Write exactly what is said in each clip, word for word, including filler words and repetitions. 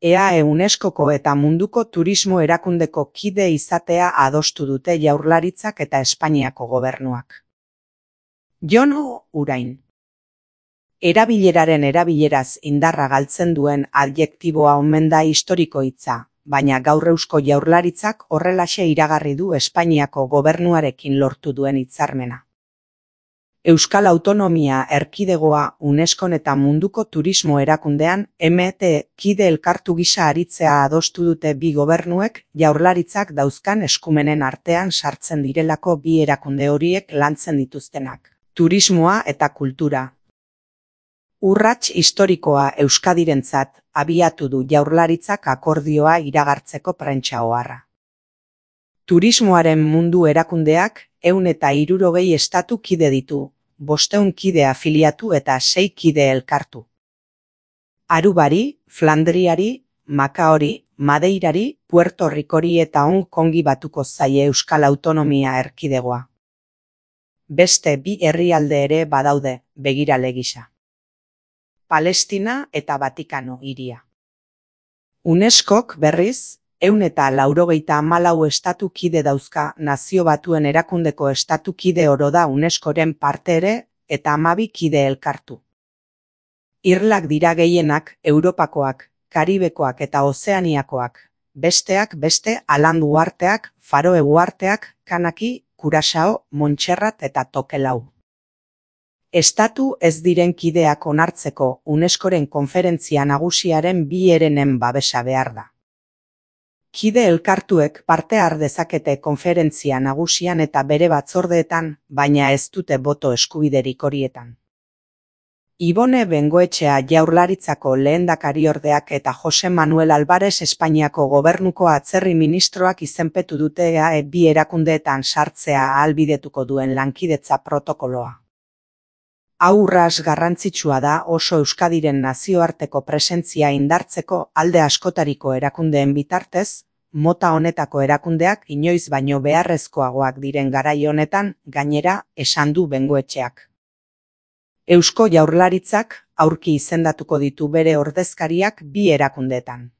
E A E UNESCOko eta Munduko Turismo Erakundeko kide izatea adostu dute Jaurlaritzak eta Espainiako gobernuak. Jon Urain. Erabileraren erabileraz indarra galtzen duen adjektiboa omen da historiko hitza, baina gaur Eusko Jaurlaritzak horrelaxe iragarri du Espainiako gobernuarekin lortu duen hitzarmena. Euskal Autonomia Erkidegoa UNESCOn eta Munduko Turismo Erakundean M T kide elkartu gisa aritzea adostu dute bi gobernuek Jaurlaritzak dauzkan eskumenen artean sartzen direlako bi erakunde horiek lantzen dituztenak, turismoa eta kultura. Urrats historikoa Euskadirentzat abiatu du Jaurlaritzak akordioa iragartzeko prentsa oharra. Turismoaren mundu erakundeak ehun eta hirurogei estatu kide ditu, bostehun kide afiliatu eta sei kide elkartu. Arubari, Flandriari, Makaori, Madeirari, Puerto Ricori eta Hong Kongi batuko zaie Euskal Autonomia Erkidegoa. Beste bi herrialde ere badaude, begirale gisa. Palestina eta Vatikano hiria. UNESCOk berriz, ehun eta laurogeita hamalau estatu kide dauzka, Nazio Batuen Erakundeko estatu kide oro da UNESCOren parte ere eta hamabi kide elkartu. Irlak dira gehienak, Europakoak, Karibekoak eta Ozeaniakoak, besteak beste Alandu uharteak, Faroe uharteak, Kanaki, Kurasao, Montserrat eta Tokelau. Estatu ez diren kideak onartzeko UNESCOren konferentzia nagusiaren bi herenen babesa behar da. Kide elkartuek parte har dezakete konferentzia nagusian eta bere batzordeetan, baina ez dute boto eskubiderik horietan. Ibone Bengoetxea Jaurlaritzako lehendakariordeak eta Jose Manuel Alvarez Espainiako gobernuko atzerri ministroak izenpetu dute E A E bi erakundeetan sartzea ahalbidetuko duen lankidetza protokoloa. Hau urrats garrantzitsua da oso Euskadiren nazioarteko presentzia indartzeko alde askotariko erakundeen bitartez, mota honetako erakundeak inoiz baino beharrezkoagoak diren garai honetan, gainera, esan du Bengoetxeak. Eusko Jaurlaritzak aurki izendatuko ditu bere ordezkariak bi erakundeetan.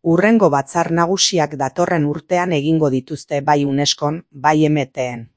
Hurrengo batzar nagusiak datorren urtean egingo dituzte bai UNESCOn, bai M Tn.